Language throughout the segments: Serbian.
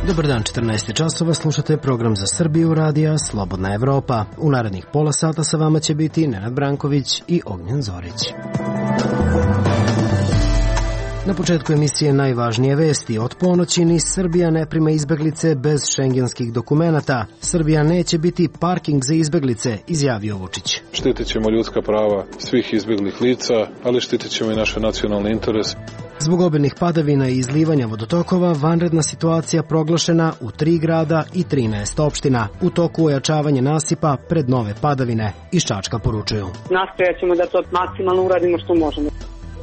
Dobar dan, 14 časova, slušate program za Srbiju radija Slobodna Evropa. U narednih pola sata sa vama će biti Nenad Branković i Ognjen Zorić. Na početku emisije najvažnije vesti. Od ponoći ni Srbija ne prima izbeglice bez šengenskih dokumenata. Srbija neće biti parking za izbeglice, izjavio Vučić. Štitit ćemo ljudska prava svih izbeglih lica, ali štitit ćemo i naše nacionalne interese. Zbog obilnih padavina i izlivanja vodotokova, vanredna situacija proglašena u 3 grada i 13 opština. U toku ojačavanje nasipa pred nove padavine. Iz Čačka poručuju. Nastojat ćemo da to maksimalno uradimo što možemo.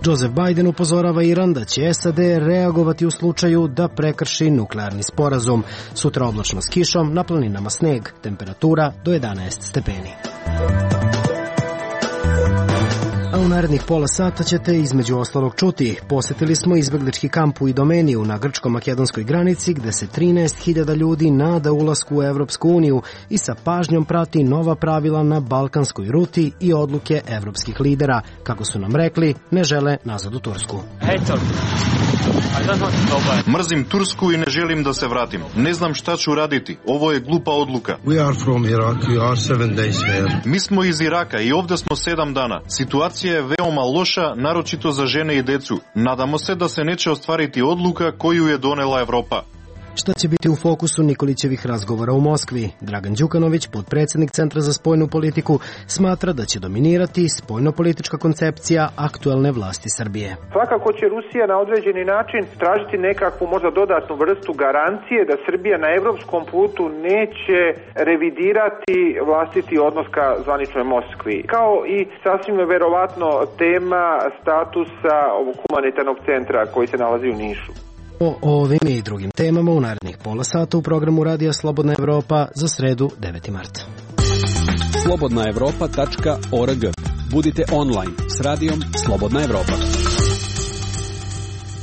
Joseph Biden upozorava Iran da će SAD reagovati u slučaju da prekrši nuklearni sporazum. Sutra oblačno s kišom, na planinama sneg, temperatura do 11 stepeni. A u narednih pola sata ćete između ostalog čuti. Posetili smo izbeglički kamp u Idomeniju na grčko-makedonskoj granici gde se 13.000 ljudi nada ulasku u Evropsku uniju i sa pažnjom prati nova pravila na balkanskoj ruti i odluke evropskih lidera. Kako su nam rekli, ne žele nazad u Tursku. Mrzim Tursku i ne želim da se vratim. Ne znam šta ću raditi. Ovo je glupa odluka. Mi smo iz Iraka i ovde smo 7 dana. Situacija je veoma loša, naročito za žene i decu. Nadamo se da se neće ostvariti odluka koju je donela Evropa. Šta će biti u fokusu Nikolićevih razgovora u Moskvi? Dragan Đukanović, potpredsjednik Centra za spoljnu politiku, smatra da će dominirati spoljnopolitička koncepcija aktuelne vlasti Srbije. Svakako će Rusija na određeni način tražiti nekakvu možda dodatnu vrstu garancije da Srbija na evropskom putu neće revidirati vlastiti odnos ka zvaničnoj Moskvi. Kao i sasvim verovatno tema statusa ovog humanitarnog centra koji se nalazi u Nišu. O ovim i drugim temama u narednih pola sata u programu Radija Slobodna Evropa za sredu 9. marta. slobodnaevropa.org. Budite online s radijom Slobodna Evropa.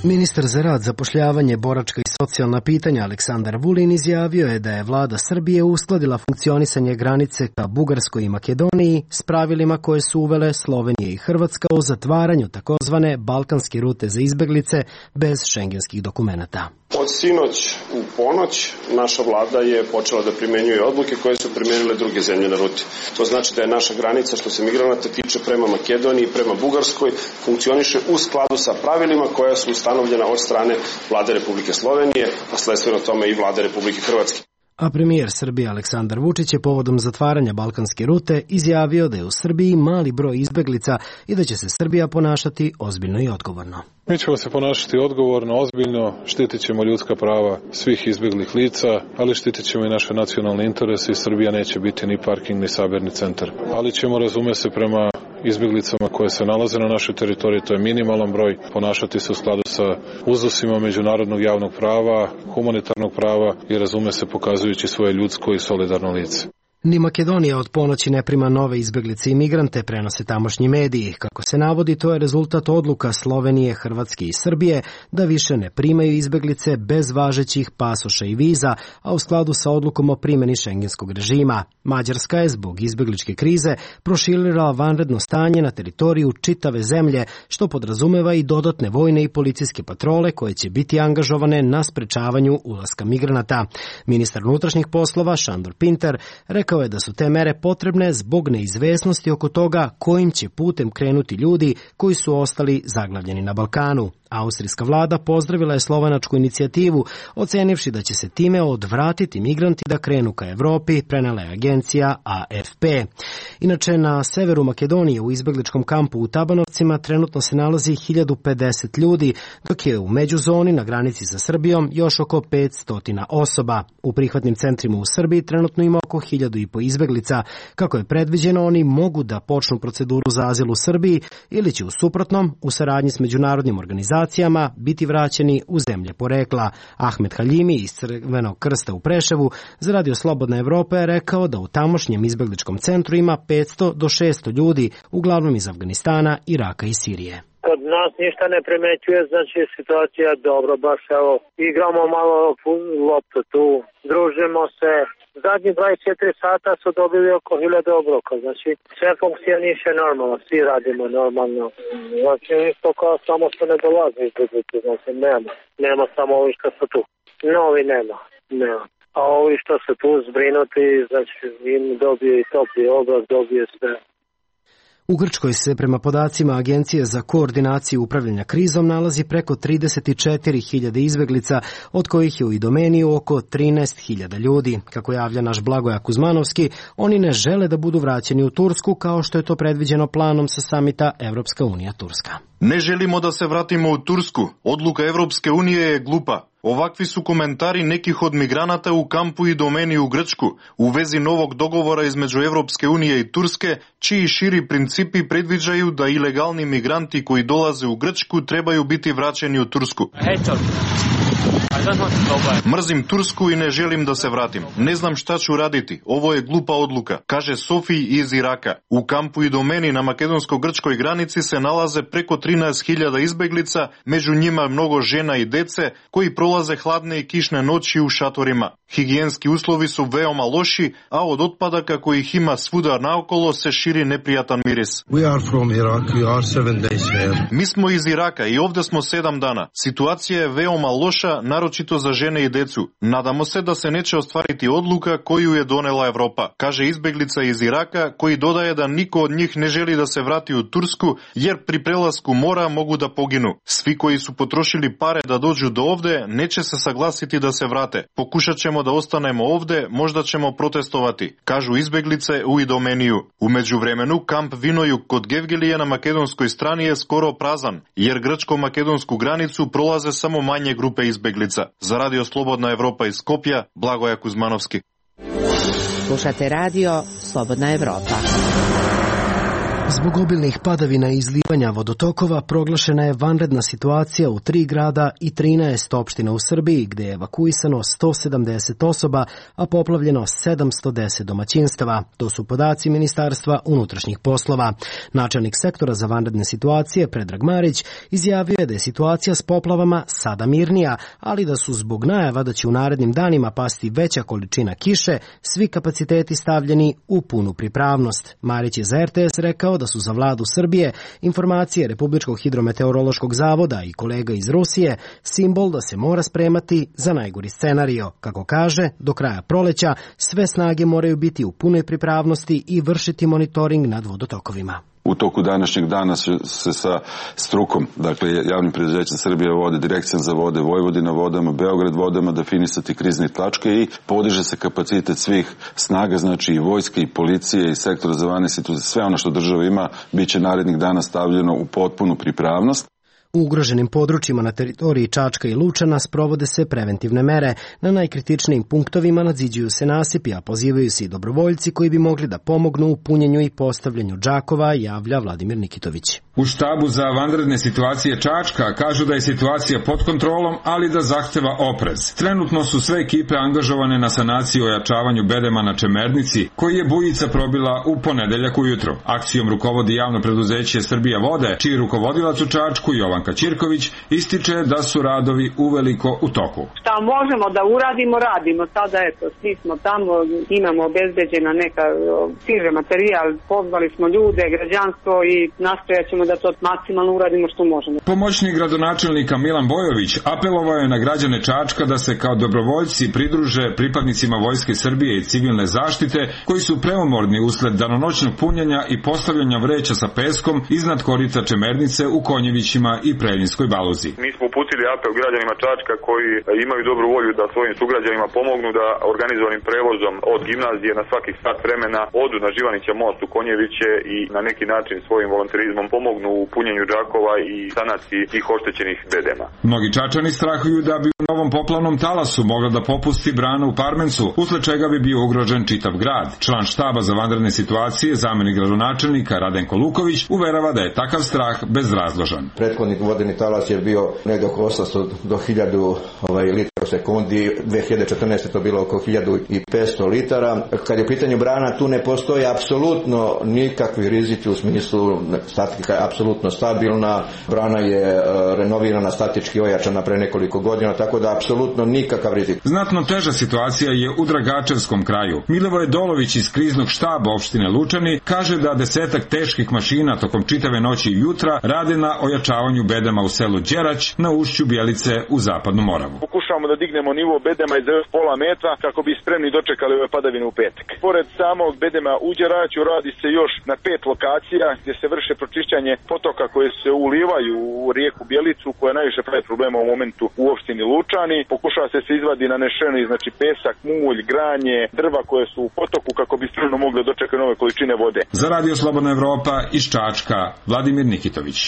Ministar za rad, zapošljavanje, boračka i socijalna pitanja Aleksandar Vulin izjavio je da je vlada Srbije uskladila funkcionisanje granice ka Bugarskoj i Makedoniji s pravilima koje su uvele Slovenija i Hrvatska o zatvaranju takozvane balkanske rute za izbeglice bez šengenskih dokumenata. Od sinoć u ponoć naša vlada je počela da primenjuje odluke koje su primenile druge zemlje na ruti. To znači da je naša granica što se migranata tiče prema Makedoniji i prema Bugarskoj funkcioniše u skladu sa pravilima koja su ustanovljena od strane vlade Republike Slovenije, a sledstveno tome i vlade Republike Hrvatske. A premijer Srbije Aleksandar Vučić je povodom zatvaranja balkanske rute izjavio da je u Srbiji mali broj izbeglica i da će se Srbija ponašati ozbiljno i odgovorno. Mi ćemo se ponašati odgovorno, ozbiljno, štitit ćemo ljudska prava svih izbeglih lica, ali štitit ćemo i naše nacionalne interese i Srbija neće biti ni parking ni sabirni centar. Ali ćemo, razume se, prema izbeglicama koje se nalaze na našoj teritoriji, to je minimalan broj, ponašati se u skladu sa uzusima međunarodnog javnog prava, humanitarnog prava i, razume se, pokazujući svoje ljudsko i solidarno lice. Ni Makedonija od ponoći ne prima nove izbeglice i migrante, prenose tamošnji mediji. Kako se navodi, to je rezultat odluka Slovenije, Hrvatske i Srbije da više ne primaju izbeglice bez važećih pasoša i viza, a u skladu sa odlukom o primjeni šengenskog režima. Mađarska je zbog izbegličke krize proširila vanredno stanje na teritoriju čitave zemlje, što podrazumeva i dodatne vojne i policijske patrole koje će biti angažovane na sprečavanju ulaska migranata. Ministar unutrašnjih poslova Šandor Pinter rekao je da su te mere potrebne zbog neizvesnosti oko toga kojim će putem krenuti ljudi koji su ostali zaglavljeni na Balkanu. Austrijska vlada pozdravila je slovenačku inicijativu, ocenivši da će se time odvratiti migranti da krenu ka Evropi, prenela je agencija AFP. Inače, na severu Makedonije u izbegličkom kampu u Tabanovcima trenutno se nalazi 1050 ljudi, dok je u međuzoni na granici sa Srbijom još oko 500 osoba. U prihvatnim centrima u Srbiji trenutno ima oko 1500 izbeglica. Kako je predviđeno, oni mogu da počnu proceduru za azil u Srbiji ili će u suprotnom, u saradnji s međunarodnim organizacijama, biti vraćeni u zemlje porekla. Ahmed Haljimi iz Crvenog krsta u Preševu za Radio Slobodna Evropa je rekao da u tamošnjem izbegličkom centru ima 500 do 600 ljudi, uglavnom iz Afganistana, Iraka i Sirije. Kod nas ništa ne primećuje, znači situacija je dobro, baš evo, igramo malo loptu tu, družimo se, Zadnji 24 sata su dobili oko 1000 obroka, znači sve funkcioniše normalno, svi radimo normalno. Znači isto kao samo što ne dolazi izbjeglice, znači nema samo ovi što su tu. Novi nema. A ovi što su tu zbrinuti, znači im dobije i topli obrok, dobije sve. U Grčkoj se prema podacima Agencije za koordinaciju upravljanja krizom nalazi preko 34.000 izbeglica, od kojih je u Idomeniju oko 13.000 ljudi. Kako javlja naš Blagoja Kuzmanovski, oni ne žele da budu vraćeni u Tursku kao što je to predviđeno planom sa samita Evropska unija-Turska. Ne želimo da se vratimo u Tursku. Odluka Evropske unije je glupa. Ovakvi su komentari nekih od migranata u kampu Idomeni u Grčku u vezi novog dogovora između Evropske unije i Turske, čiji širi principi predviđaju da ilegalni migranti koji dolaze u Grčku trebaju biti vraćeni u Tursku. Mrzim Tursku i ne želim da se vratim. Ne znam šta ću raditi. Ovo je glupa odluka, kaže Sofij iz Iraka. U kampu Idomeni na makedonsko-grčkoj granici se nalaze preko 13.000 izbeglica, među njima mnogo žena i dece koji prolaze hladne i kišne noći u šatorima. Higijenski uslovi su veoma loši, a od otpadaka kojih ima svuda naokolo se širi neprijatan miris. Mi smo iz Iraka i ovde smo 7 dana. Situacija je veoma loša, naročito za žene i decu. Nadamo se da se neće ostvariti odluka koju je donela Evropa, kaže izbeglica iz Iraka, koji dodaje da niko od njih ne želi da se vrati u Tursku, jer pri prelasku mora mogu da poginu. Svi koji su potrošili pare da dođu do ovde neće se saglasiti da se vrate. Pokušat ćemo da ostanemo ovde, možda ćemo protestovati, kažu izbeglice u Idomeniju. U međuvremenu, kamp Vinojuk kod Gevgelije na makedonskoj strani je skoro prazan, jer grčko-makedonsku granicu prolaze samo manje grupe izbeglica. Za Radio Slobodna Evropa iz Skopja, Blagoja Kuzmanovski. Slušate Radio Slobodna Evropa. Zbog obilnih padavina i izlivanja vodotokova proglašena je vanredna situacija u 3 grada i 13 opština u Srbiji, gde je evakuisano 170 osoba, a poplavljeno 710 domaćinstava. To su podaci Ministarstva unutrašnjih poslova. Načelnik sektora za vanredne situacije, Predrag Marić, izjavio je da je situacija s poplavama sada mirnija, ali da su zbog najava da će u narednim danima pasti veća količina kiše, svi kapaciteti stavljeni u punu pripravnost. Marić je za RTS rekao da su za vladu Srbije informacije Republičkog hidrometeorološkog zavoda i kolega iz Rusije simbol da se mora spremati za najgori scenario. Kako kaže, do kraja proleća sve snage moraju biti u punoj pripravnosti i vršiti monitoring nad vodotokovima. U toku današnjeg dana se sa strukom, dakle javnim preduzećem Srbija vode, Direkcijom za vode, Vojvodina vodama, Beograd vodama, definisati krizne tačke i podiže se kapacitet svih snaga, znači i vojske i policije i sektora za vanredne situacije, sve ono što država ima, bit će narednih dana stavljeno u potpunu pripravnost. U ugroženim područjima na teritoriji Čačka i Lučana sprovode se preventivne mere. Na najkritičnijim punktovima nadziđuju se nasipi, a pozivaju se i dobrovoljci koji bi mogli da pomognu u punjenju i postavljanju džakova, javlja Vladimir Nikitović. U štabu za vanredne situacije Čačka kažu da je situacija pod kontrolom, ali da zahteva oprez. Trenutno su sve ekipe angažovane na sanaciji i ojačavanju bedema na Čemernici, koji je bujica probila u ponedeljak ujutro. Akcijom rukovodi javno preduzeće Srbija vode, čiji rukovodilac u Čačku Jovan Kaćirković ističe da su radovi uveliko u toku. Šta možemo da uradimo, radimo. Sada eto, svi smo tamo, imamo obezbeđena neka stiže materijal, pozvali smo ljude, građanstvo i nastojat ćemo da to maksimalno uradimo što možemo. Pomoćnik gradonačelnika Milan Bojović apelovao je na građane Čačka da se kao dobrovoljci pridruže pripadnicima Vojske Srbije i civilne zaštite koji su preumorni usled danonoćnog punjenja i postavljanja vreća sa peskom iznad korita Čemernice u Konjevićima i Preljinskoj Baluzi. Mi smo uputili apel građanima Čačka koji imaju dobru volju da svojim sugrađanima pomognu da organizovanim prevozom od gimnazije na svakih sat vremena odu na Živanića most u Konjeviće i na neki način svojim volonterizmom pomognu u punjenju džakova i sanaciji tih oštećenih bedema. Mnogi Čačani strahuju da bi u novom poplavnom talasu mogla da popusti brana u Parmencu, usled čega bi bio ugrožen čitav grad. Član štaba za vanredne situacije, zamenik gradonačelnika Radenko Luković, uverava da je takav strah bezrazložan. Prethodni vodeni talas je bio negdje oko 800 do 1000 litara u sekundi, 2014. to bilo oko 1500 litara. Kad je u pitanju brana, tu ne postoji apsolutno nikakvi rizici u smislu statika je apsolutno stabilna, brana je renovirana, statički ojačana pre nekoliko godina, tako da apsolutno nikakav rizik. Znatno teža situacija je u Dragačevskom kraju. Milivoje Dolović iz kriznog štaba opštine Lučani kaže da 10 teških mašina tokom čitave noći i jutra rade na ojačavanju bedema u selu Đerać na ušću Bjelice u Zapadnu Moravu. Pokušavamo da dignemo nivo bedema iz pola metra kako bi spremni dočekali ove padavine u petak. Pored samog bedema u Đeraću radi se još na 5 lokacija gdje se vrše pročišćanje potoka koje se ulivaju u rijeku Bjelicu koja najviše pravi problema u momentu u opštini Lučani. Pokušava se izvadi nanešeni znači pesak, mulj, granje, drva koje su u potoku kako bi spremno mogli dočekati nove količine vode. Za Radio Slobodna Evropa iz Čačka, Vladimir Nikitović.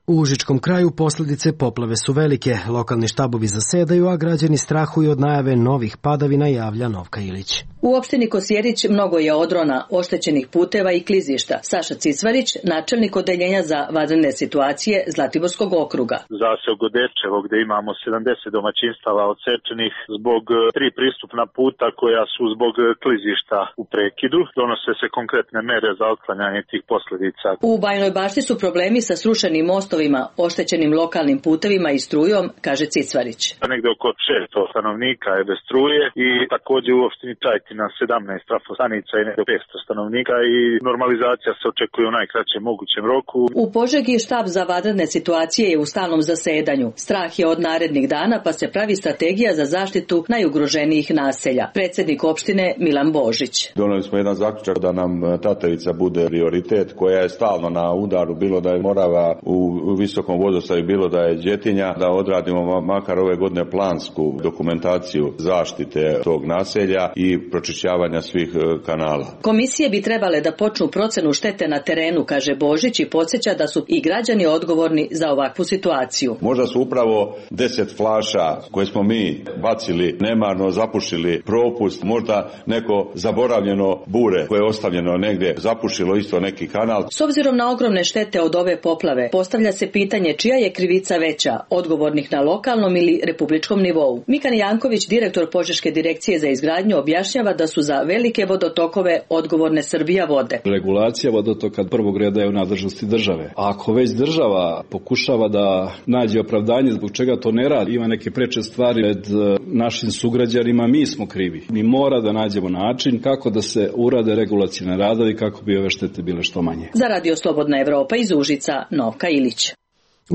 U Užičkom kraju posljedice poplave su velike, lokalni štabovi zasedaju, a građani strahuju od najave novih padavina, javlja Novka Ilić. U opštini Kosjerić mnogo je odrona, oštećenih puteva i klizišta. Saša Cicvarić, načelnik odeljenja za vanredne situacije Zlatiborskog okruga. Zaseok Godečevo gdje imamo 70 domaćinstava odsečenih zbog 3 pristupna puta koja su zbog klizišta u prekidu. Donose se konkretne mere za otklanjanje tih posljedica. U Bajnoj Bašti su problemi sa srušenim mostovima, oštećenim lokalnim putevima i strujom, kaže Cicvarić. Negdje oko 600 stanovnika je bez struje i također u opštini Čajtina 17 trafostanica i negdje 500 stanovnika i normalizacija se očekuje u najkraćem mogućem roku. U Požegi štab za vanredne situacije je u stalnom zasedanju. Strah je od narednih dana pa se pravi strategija za zaštitu najugroženijih naselja. Predsjednik opštine Milan Božić. Doneli smo jedan zaključak da nam Tatavica bude prioritet koja je stalno na udaru, bilo da je Morava u visokom vodostaju, bilo da je Đetinja, da odradimo makar ove godine plansku dokumentaciju zaštite tog naselja i pročišćavanja svih kanala. Komisije bi trebale da počnu procenu štete na terenu, kaže Božić i podsjeća da su i građani odgovorni za ovakvu situaciju. Možda su upravo 10 flaša koje smo mi bacili, nemarno zapušili propust, možda neko zaboravljeno bure koje je ostavljeno negdje, zapušilo isto neki kanal. S obzirom na ogromne štete od ove poplave, postavlja se pitanje čija je krivica veća, odgovornih na lokalnom ili republičkom nivou. Mikan Janković, direktor Požeške direkcije za izgradnju, objašnjava da su za velike vodotokove odgovorne Srbija vode. Regulacija vodotoka prvog reda je u nadležnosti države. A ako već država pokušava da nađe opravdanje zbog čega to ne radi, ima neke preče stvari pred našim sugrađanima, mi smo krivi. Mi mora da nađemo način kako da se urade regulacione radovi kako bi ove štete bile što manje. Za Radio Slobodna Evropa iz Užica, Novka Ilić.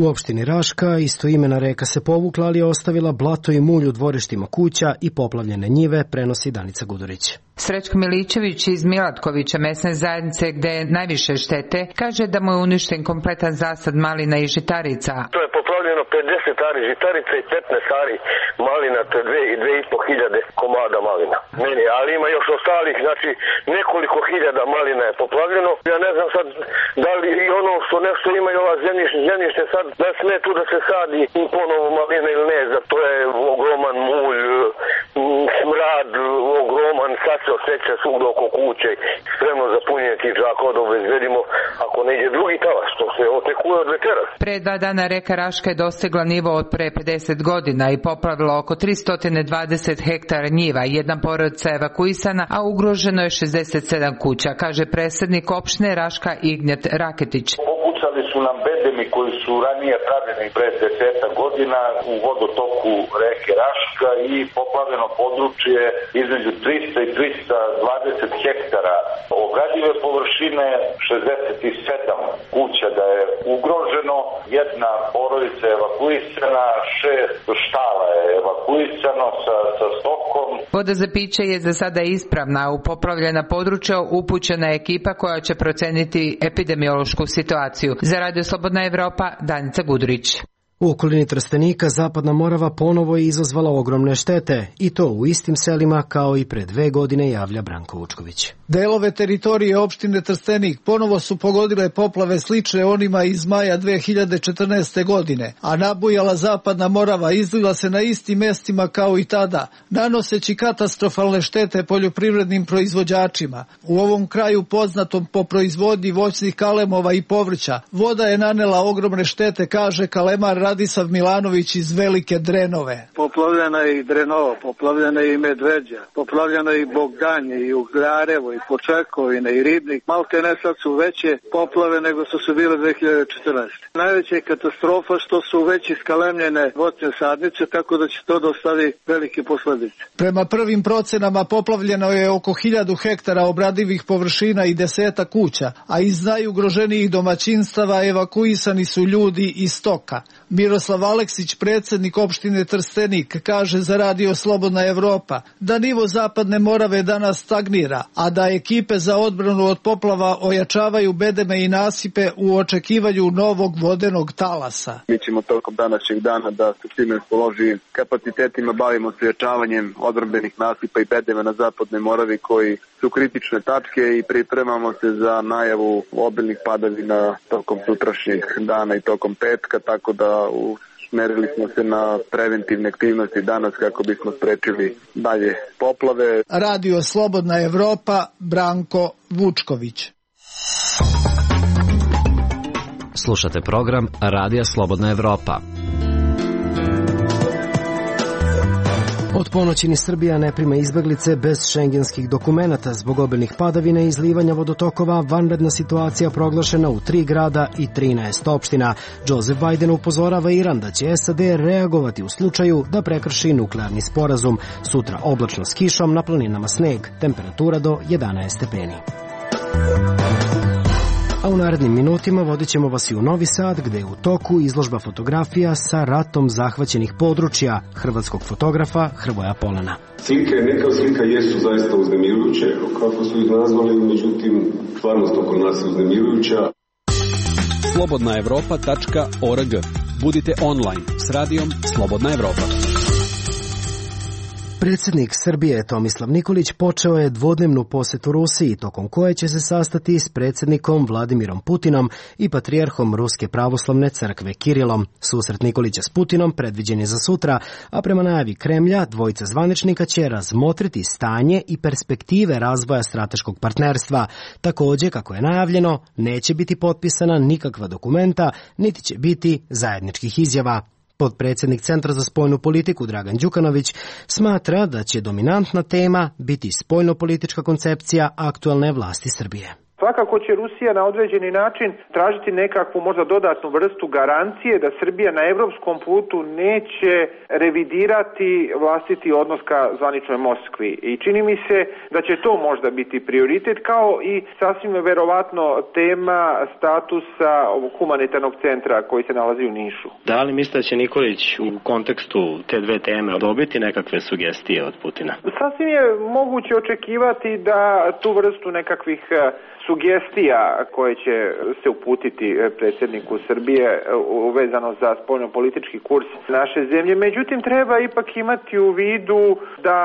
U opštini Raška istoimena reka se povukla, ali je ostavila blato i mulj u dvorištima kuća i poplavljene njive, prenosi Danica Gudurić. Srećko Milićević iz Milatkovića, mesne zajednice gde je najviše štete, kaže da mu je uništen kompletan zasad malina i žitarica. To je poplavljeno 50 ari žitarica i 15 ari malina, to je 2.500 komada malina. Meni, ali ima još ostalih, znači nekoliko hiljada malina je poplavljeno. Ja ne znam sad da li i ono što nešto imaju ova zemljište sad da sme tu da se sadi ponovo malina ili ne, da to je ogroman mulj, smrad, ogroman, sad se osjeća svugdje oko kuće, spremno za punjenje tih džakova da obezbedimo ako ne ide drugi talas, što se otekuje od večeras. Pre 2 dana reka Raška je dostigla nivo od pre 50 godina i poplavila oko 320 hektara njiva. Jedna porodica je evakuisana, a ugroženo je 67 kuća, kaže predsjednik opštine Raška Ignjet Raketić. Popucali su nam bedemi koji su ranije pravljeni pre 10 godina u vodotoku reke Raška i poplavljeno područje između 300 i 320 hektara. Obradive površine 67 kuća da je ugroženo, jedna porodica je evakuisana, 6 štala je evakuisano sa stokom. Voda za piće je za sada ispravna, u poplavljena područja upućena je ekipa koja će proceniti epidemiološku situaciju. Za Radio Slobodna Evropa, Danica Gudurić. U okolini Trstenika Zapadna Morava ponovo je izazvala ogromne štete i to u istim selima kao i pre 2 godine, javlja Branko Vučković. Delove teritorije opštine Trstenik ponovo su pogodile poplave slične onima iz maja 2014. godine, a nabujala Zapadna Morava izlila se na istim mestima kao i tada, nanoseći katastrofalne štete poljoprivrednim proizvođačima. U ovom kraju poznatom po proizvodnji voćnih kalemova i povrća, voda je nanela ogromne štete, kaže kalemar Radisav Milanović iz Velike Drenove. Poplavljena je i Drenova, poplavljena je i Medveđa, poplavljena je i Bogdanje, i Ugljarevo, i Počekovine, i Ribnik. Malte ne sad su veće poplave nego što su bile 2014. Najveća je katastrofa što su već iskalemljene voćne sadnice, tako da će to dostavi velike posledice. Prema prvim procenama poplavljeno je oko 1000 hektara obradivih površina i 10 kuća, a iz najugroženijih domaćinstava evakuisani su ljudi i stoka. Miroslav Aleksić, predsjednik opštine Trstenik, kaže za Radio Slobodna Evropa da nivo Zapadne Morave danas stagnira, a da ekipe za odbranu od poplava ojačavaju bedeme i nasipe u očekivanju novog vodenog talasa. Mi ćemo tokom današnjeg dana da se svim raspoloživim kapacitetima bavimo s ojačavanjem odbrambenih nasipa i bedema na Zapadnoj Moravi koji su kritične tačke i pripremamo se za najavu obilnih padavina tokom sutrašnjeg dana i tokom petka, tako da usmerili smo se na preventivne aktivnosti danas kako bismo sprečili dalje poplave. Radio Slobodna Evropa, Branko Vučković. Slušate program Radija Slobodna Evropa. Od ponoći ni Srbija ne prima izbeglice bez šengenskih dokumenata. Zbog obilnih padavina i izlivanja vodotokova vanredna situacija proglašena u 3 grada i 13 opština. Joseph Biden upozorava Iran da će SAD reagovati u slučaju da prekrši nuklearni sporazum. Sutra oblačno s kišom, na planinama sneg, temperatura do 11 stepeni. A u narednim minutima vodit ćemo vas i u Novi Sad, gde je u toku izložba fotografija sa ratom zahvaćenih područja hrvatskog fotografa Hrvoja Polana. Slike, neka slika jesu zaista uznemirujuće, kako su ih nazvali, međutim, stvarnost oko nas je uznemirujuća. slobodnaevropa.org. Budite online s radijom Slobodna Evropa. Predsjednik Srbije Tomislav Nikolić počeo je dvodnevnu posetu Rusiji, tokom koje će se sastati s predsjednikom Vladimirom Putinom i patrijarhom Ruske pravoslavne crkve Kirilom. Susret Nikolića s Putinom predviđen je za sutra, a prema najavi Kremlja dvojica zvaničnika će razmotriti stanje i perspektive razvoja strateškog partnerstva. Također, kako je najavljeno, neće biti potpisana nikakva dokumenta, niti će biti zajedničkih izjava. Potpredsjednik Centra za spoljnu politiku Dragan Đukanović smatra da će dominantna tema biti spoljnopolitička koncepcija aktualne vlasti Srbije. Svakako će Rusija na određeni način tražiti nekakvu možda dodatnu vrstu garancije da Srbija na evropskom putu neće revidirati vlastiti odnos ka zvaničnoj Moskvi. I čini mi se da će to možda biti prioritet, kao i sasvim verovatno tema statusa ovog humanitarnog centra koji se nalazi u Nišu. Da li mislite da će Nikolić u kontekstu te dve teme dobiti nekakve sugestije od Putina? Sasvim je moguće očekivati da tu vrstu nekakvih sugestija koje će se uputiti predsjedniku Srbije vezano za spoljnopolitički kurs naše zemlje. Međutim, treba ipak imati u vidu da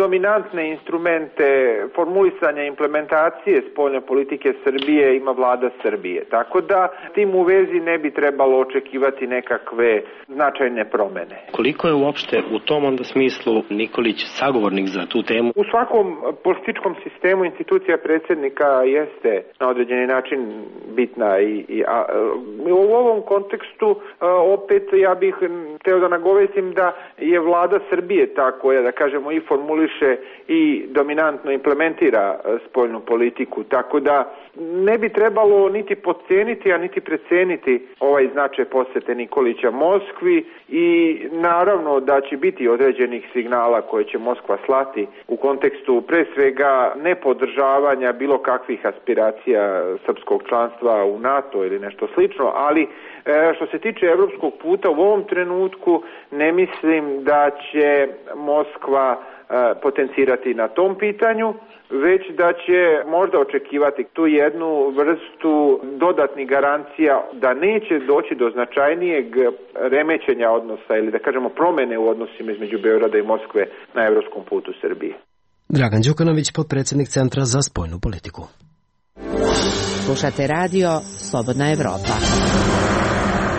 dominantne instrumente formulisanja implementacije spoljne politike Srbije ima vlada Srbije. Tako da tim u vezi ne bi trebalo očekivati nekakve značajne promene. Koliko je uopšte u tom onda smislu Nikolić sagovornik za tu temu? U svakom političkom sistemu institucija predsjednika jeste na određeni način bitna i u ovom kontekstu opet ja bih hteo da nagovestim da je vlada Srbije ta koja, da kažemo, i formuliše i dominantno implementira spoljnu politiku, tako da ne bi trebalo niti podceniti, a niti preceniti ovaj značaj posete Nikolića Moskvi i naravno da će biti određenih signala koje će Moskva slati u kontekstu pre svega nepodržavanja bilo kakvih aspiracija srpskog članstva u NATO ili nešto slično, ali što se tiče evropskog puta u ovom trenutku ne mislim da će Moskva potencirati na tom pitanju, već da će možda očekivati tu jednu vrstu dodatnih garancija da neće doći do značajnijeg remećenja odnosa ili da kažemo promene u odnosima između Beograda i Moskve na evropskom putu Srbije. Dragan Đukanović, potpredsjednik Centra za spoljnu politiku. Slušate radio Slobodna Evropa.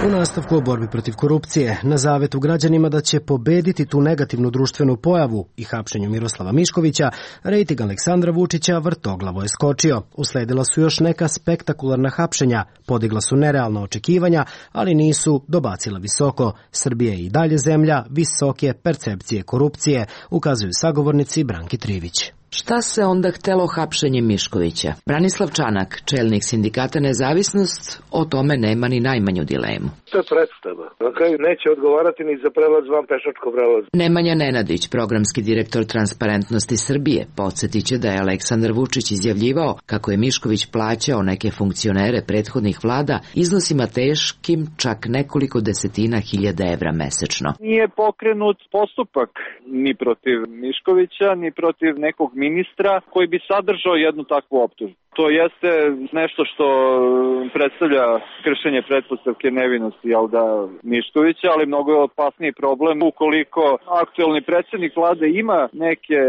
U nastavku o borbi protiv korupcije, na zavetu građanima da će pobediti tu negativnu društvenu pojavu i hapšenju Miroslava Miškovića, rejting Aleksandra Vučića vrtoglavo je skočio. Usledila su još neka spektakularna hapšenja, podigla su nerealna očekivanja, ali nisu dobacila visoko. Srbija je i dalje zemlja visoke percepcije korupcije, ukazuju sagovornici Branki Trivić. Šta se onda htelo hapšenjem Miškovića? Branislav Čanak, čelnik sindikata Nezavisnost, o tome nema ni najmanju dilemu. To je predstava. Na kraju neće odgovarati ni za prelaz van pešačkog prelaza. Nemanja Nenadić, programski direktor Transparentnosti Srbije, podsjetit će da je Aleksandar Vučić izjavljivao kako je Mišković plaćao neke funkcionere prethodnih vlada iznosima teškim čak nekoliko desetina hiljada evra mesečno. Nije pokrenut postupak ni protiv Miškovića, ni protiv nekog ministra koji bi sadržao jednu takvu optužbu. To jeste nešto što predstavlja kršenje pretpostavke nevinosti Miškovića, ali mnogo je opasniji problem ukoliko aktuelni predsjednik vlade ima neke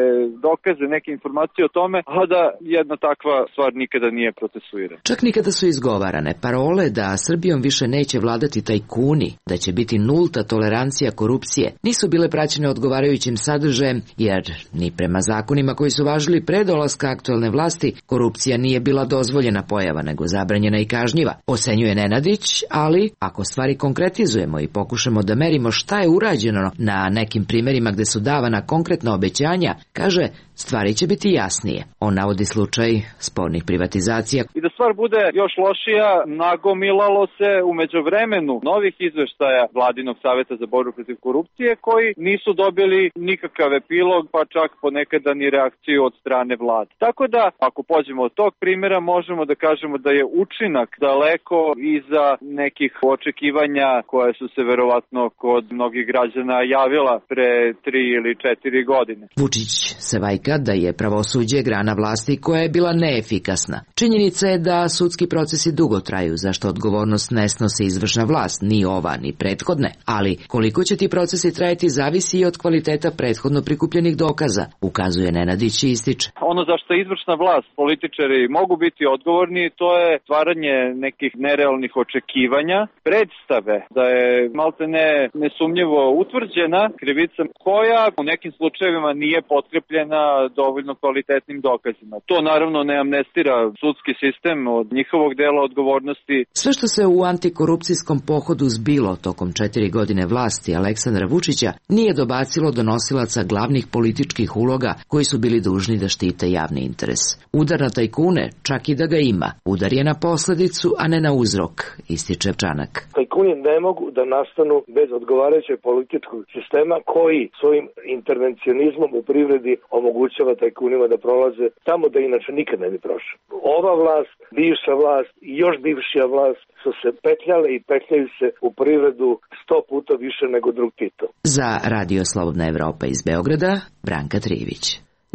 dokaze, neke informacije o tome, a da jedna takva stvar nikada nije procesuirana. Čak nikada su izgovarane parole da Srbijom više neće vladati tajkuni, da će biti nulta tolerancija korupcije, nisu bile praćene odgovarajućim sadržajem, jer ni prema zakonima koji su važili pre dolaska aktuelne vlasti, korupcija nije bila dozvoljena pojava, nego zabranjena i kažnjiva, ocenjuje Nenadić, ali ako stvari konkretizujemo i pokušamo da merimo šta je urađeno na nekim primerima gde su davana konkretna obećanja, kaže, stvari će biti jasnije. On navodi slučaj spornih privatizacija. I da stvar bude još lošija, nagomilalo se u međuvremenu novih izveštaja Vladinog saveta za borbu protiv korupcije koji nisu dobili nikakav epilog, pa čak ponekada ni reakciju od strane vlade. Tako da, ako pođemo od tog primjera, možemo da kažemo da je učinak daleko iza nekih očekivanja koje su se verovatno kod mnogih građana javila pre 3 ili 4 godine. Vučić se vajka da je pravosuđe grana vlasti koja je bila neefikasna. Činjenica je da sudski procesi dugo traju, zašto odgovornost ne snosi izvršna vlast, ni ova, ni prethodne. Ali koliko će ti procesi trajati zavisi i od kvaliteta prethodno prikupljenih dokaza, ukazuje Nenadić i ističe. Ono za što izvršna vlast, političari mogu biti odgovorni, to je stvaranje nekih nerealnih očekivanja, predstave da je maltene nesumnjivo utvrđena krivica koja u nekim slučajevima nije potkrepljena dovoljno kvalitetnim dokazima. To naravno ne amnestira sudski sistem od njihovog dela odgovornosti. Sve što se u antikorupcijskom pohodu zbilo tokom 4 godine vlasti Aleksandra Vučića nije dobacilo do nosilaca glavnih političkih uloga koji su bili dužni da štite javni interes. Udar na tajkune, čak i da ga ima, udar je na posledicu, a ne na uzrok, ističe Čanak. Tajkuni ne mogu da nastanu bez odgovarajućeg političkog sistema koji svojim intervencionizmom u privredi omogućava tajkunima da prolaze tamo da inače nikad ne bi prošli. Ova vlast, bivša vlast i još bivšija vlast su se petljale i petljaju se u privredu 100 puta više nego drug Tito. Za Radio Slobodna Evropa iz Beograda, Branka Trivić.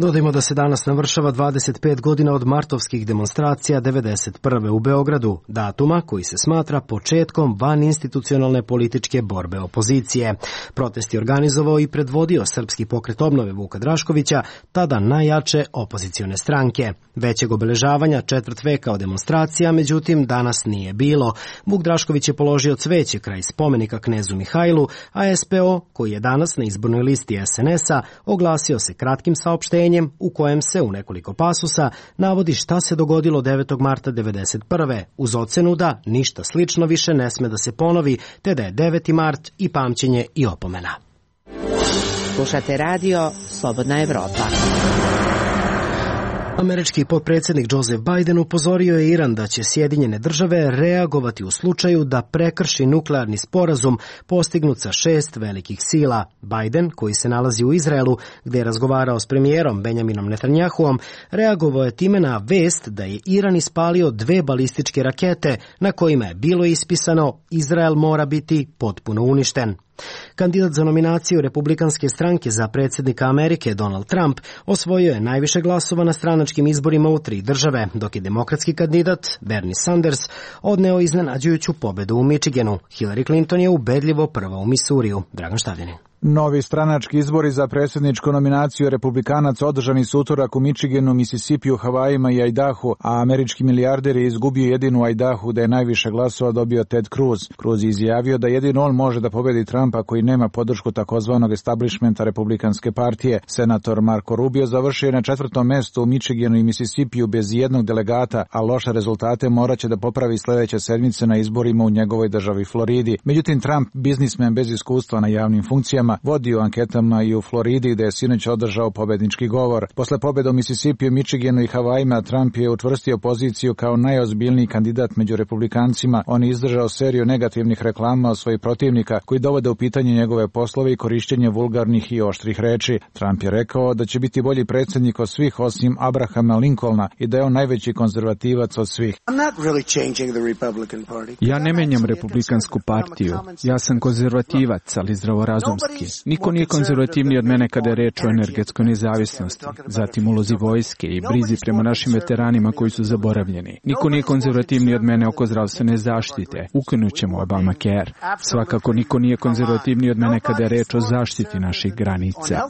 Dodajmo da se danas navršava 25 godina od martovskih demonstracija 1991. u Beogradu, datuma koji se smatra početkom vaninstitucionalne političke borbe opozicije. Protest je organizovao i predvodio Srpski pokret obnove Vuka Draškovića, tada najjače opozicione stranke. Većeg obeležavanja četvrt veka od demonstracija, međutim, danas nije bilo. Vuk Drašković je položio cveće kraj spomenika knezu Mihajlu, a SPO, koji je danas na izbornoj listi SNS-a, oglasio se kratkim saopštenjem u kojem se u nekoliko pasusa navodi šta se dogodilo 9. marta 1991. uz ocenu da ništa slično više ne sme da se ponovi, te da je 9. mart i pamćenje i opomena. Slušate radio Slobodna Evropa. Američki potpredsjednik Joseph Biden upozorio je Iran da će Sjedinjene države reagovati u slučaju da prekrši nuklearni sporazum postignut sa 6 velikih sila. Biden, koji se nalazi u Izraelu, gdje je razgovarao s premijerom Benjaminom Netanjahuom, reagovao je time na vest da je Iran ispalio 2 balističke rakete na kojima je bilo ispisano Izrael mora biti potpuno uništen. Kandidat za nominaciju Republikanske stranke za predsjednika Amerike Donald Trump osvojio je najviše glasova na stranačkim izborima u 3 države, dok je demokratski kandidat Bernie Sanders odneo iznenađujuću pobedu u Michiganu. Hillary Clinton je ubedljivo prva u Misuriju. Dragan Štavljanin. Novi stranački izbori za predsjedničku nominaciju Republikanaca održani su utorak u Michiganu, Mississipiju, Havajima i Idahu, a američki milijarder je izgubio jedinu Idahu da je najviše glasova dobio Ted Cruz. Cruz je izjavio da jedino on može da pobedi Trumpa koji nema podršku takozvanog establishmenta Republikanske partije. Senator Marco Rubio završio je na 4. mestu u Michiganu i Mississipiju bez jednog delegata, a loše rezultate moraće da popravi sljedeće sedmice na izborima u njegovoj državi Floridi. Međutim, Trump, biznismen bez iskustva na javnim funkcijama, vodio anketama i u Floridi gde je sinoć održao pobednički govor. Posle pobjede u Mississipiju, Michiganu i Havajima, Trump je učvrstio poziciju kao najozbiljniji kandidat među republikancima. On je izdržao seriju negativnih reklama od svojih protivnika koji dovode u pitanje njegove poslove i korišćenje vulgarnih i oštrih reči. Trump je rekao da će biti bolji predsjednik od svih osim Abrahama Lincolna i da je on najveći konzervativac od svih. Ja ne menjam Republikansku partiju. Ja sam konzervativac, ali zdravorazumski. Niko nije konzervativniji od mene kada je reč o energetskoj nezavisnosti, zatim ulozi vojske i brizi prema našim veteranima koji su zaboravljeni. Niko nije konzervativniji od mene oko zdravstvene zaštite. Ukinut ćemo Obamacare. Svakako niko nije konzervativniji od mene kada je reč o zaštiti naših granica.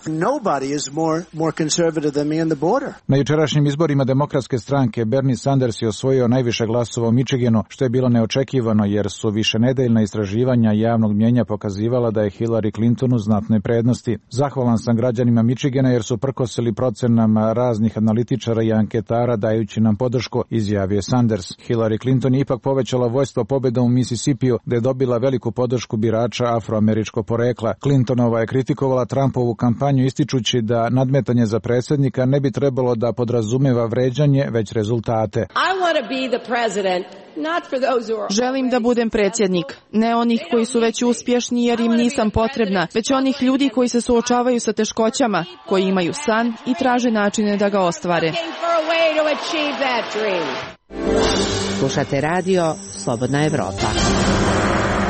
Na jučerašnjim izborima demokratske stranke Bernie Sanders je osvojio najviše glasova u Michiganu, što je bilo neočekivano jer su višenedeljna istraživanja javnog mnjenja pokazivala da je Hillary Clintonu znatne prednosti. Zahvalan sam građanima Michigana jer su prkosili procenama raznih analitičara i anketara dajući nam podršku, izjavio Sanders. Hillary Clinton je ipak povećala vojstvo pobedom u Mississippiju, gde je dobila veliku podršku birača afroameričkog porekla. Clintonova je kritikovala Trumpovu kampanju ističući da nadmetanje za predsjednika ne bi trebalo da podrazumeva vređanje, već rezultate. Želim da budem predsjednik, ne onih koji su već uspješni jer im nisam potrebna, već onih ljudi koji se suočavaju sa teškoćama, koji imaju san i traže načine da ga ostvare. Slušate radio Slobodna Evropa.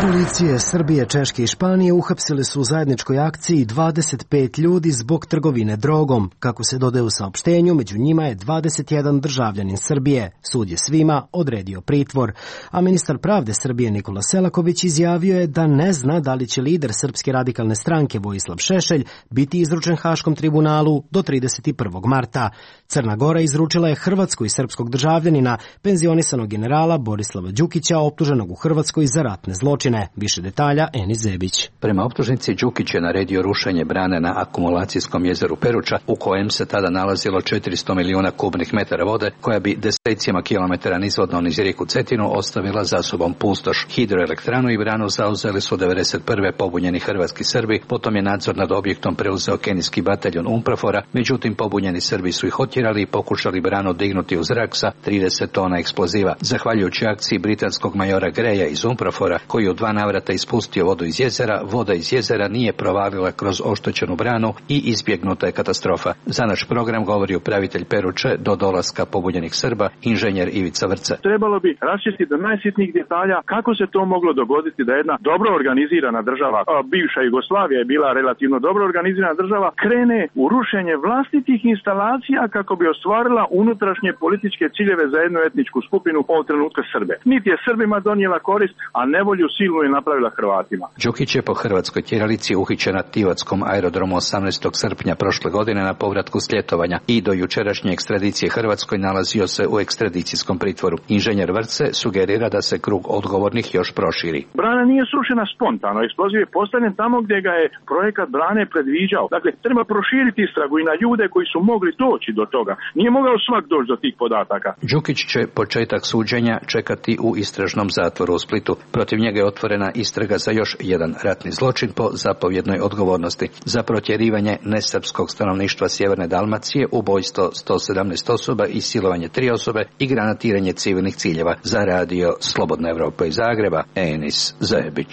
Policije Srbije, Češke i Španije uhapsile su u zajedničkoj akciji 25 ljudi zbog trgovine drogom. Kako se dodaje u saopštenju, među njima je 21 državljanin Srbije. Sud je svima odredio pritvor. A ministar pravde Srbije Nikola Selaković izjavio je da ne zna da li će lider Srpske radikalne stranke Vojislav Šešelj biti izručen Haškom tribunalu do 31. marta. Crna Gora izručila je hrvatskog i srpskog državljanina, penzionisanog generala Borislava Đukića, optuženog u Hrvatskoj za ratne zločine. Više detalja Enis Zebić. Prema optužnici Đukić je naredio rušenje brane na akumulacijskom jezeru Peruča, u kojem se tada nalazilo 400 milijuna kubnih metara vode, koja bi desecima kilometara nizvodno niz rijeku Cetinu ostavila za sobom pustoš. Hidroelektranu i branu zauzeli su 1991. pobunjeni hrvatski Srbi, potom je nadzor nad objektom preuzeo kenijski bataljon UNPROFOR-a, međutim pobunjeni Srbi su ih otjerali i pokušali branu dignuti u zrak sa 30 tona eksploziva. Zahvaljujući akciji britanskog majora Greja iz UNPROFOR-a, koji u 2 navrata ispustio vodu iz jezera, voda iz jezera nije provalila kroz oštećenu branu i izbjegnuta je katastrofa. Za naš program govori upravitelj Peruče do dolaska pobunjenih Srba, inženjer Ivica Vrca. Trebalo bi raščistiti do najsitnijih detalja kako se to moglo dogoditi da jedna dobro organizirana država, bivša Jugoslavija je bila relativno dobro organizirana država, krene u rušenje vlastitih instalacija kako bi ostvarila unutrašnje političke ciljeve za jednu etničku skupinu, ovog trenutka Srbe. Niti je Srbima donijela korist, a nevolju silnu je napravila Hrvatima. Đukić je po hrvatskoj tjeralici uhićen na Tivatskom aerodromu 18. srpnja prošle godine na povratku s ljetovanja i do jučerašnje ekstradicije Hrvatskoj nalazio se u ekstradicijskom pritvoru. Inženjer Vrce sugerira da se krug odgovornih još proširi. Brana nije srušena spontano, eksploziv je postavljen tamo gdje ga je projekat brane predviđao. Dakle, treba proširiti istragu i na ljude koji su mogli doći do toga. Nije mogao svak doći do tih podataka. Đukić će početak suđenja čekati u istražnom zatvoru u Splitu. Protiv njega je otvorena istraga za još jedan ratni zločin po zapovjednoj odgovornosti za protjerivanje nesrpskog stanovništva Sjeverne Dalmacije, ubojstvo 117 osoba i silovanje 3 osobe i granatiranje civilnih ciljeva. Za radio Slobodna Evropa iz Zagreba, Enis Zajebić.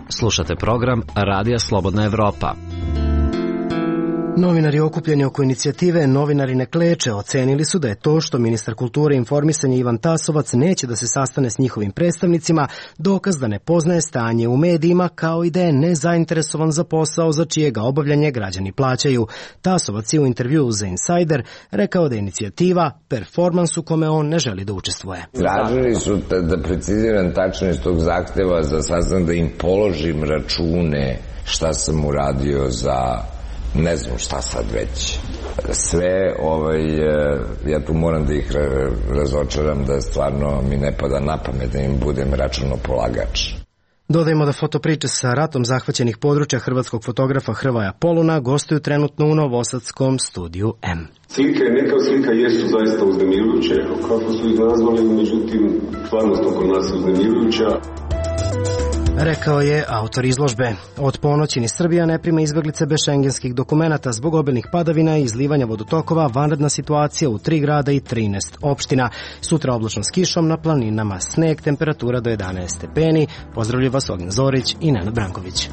Slušate program Radija Slobodna Evropa. Novinari okupljeni oko inicijative Novinari ne kleče ocenili su da je to što ministar kulture i informisanja Ivan Tasovac neće da se sastane s njihovim predstavnicima dokaz da ne poznaje stanje u medijima, kao i da je nezainteresovan za posao za čije ga obavljanje građani plaćaju. Tasovac je u intervjuu za Insider rekao da je inicijativa performans u kome on ne želi da učestvuje. Tražili su da preciziram tačno iz tog zahteva za sastanak, da im položim račune šta sam uradio za ne znam šta sad već. Sve, ja tu moram da ih razočaram da stvarno mi ne pada na pamet da im budem računopolagač. Dodajmo da fotopriče sa ratom zahvaćenih područja hrvatskog fotografa Hrvoja Poluna gostuju trenutno u novosadskom studiju M. Slike, neka slika jesu zaista uznemirujuće, kako su ih nazvali, međutim, stvarnost oko nas je uznemirujuća. Rekao je autor izložbe. Od ponoći ni Srbija ne prima izbeglice bez šengenskih dokumenata zbog obilnih padavina i izlivanja vodotokova, vanredna situacija u 3 grada i 13 opština. Sutra oblačno s kišom, na planinama sneg, temperatura do 11 stepeni. Pozdravljaju vas Ognjen Zorić i Nenad Branković.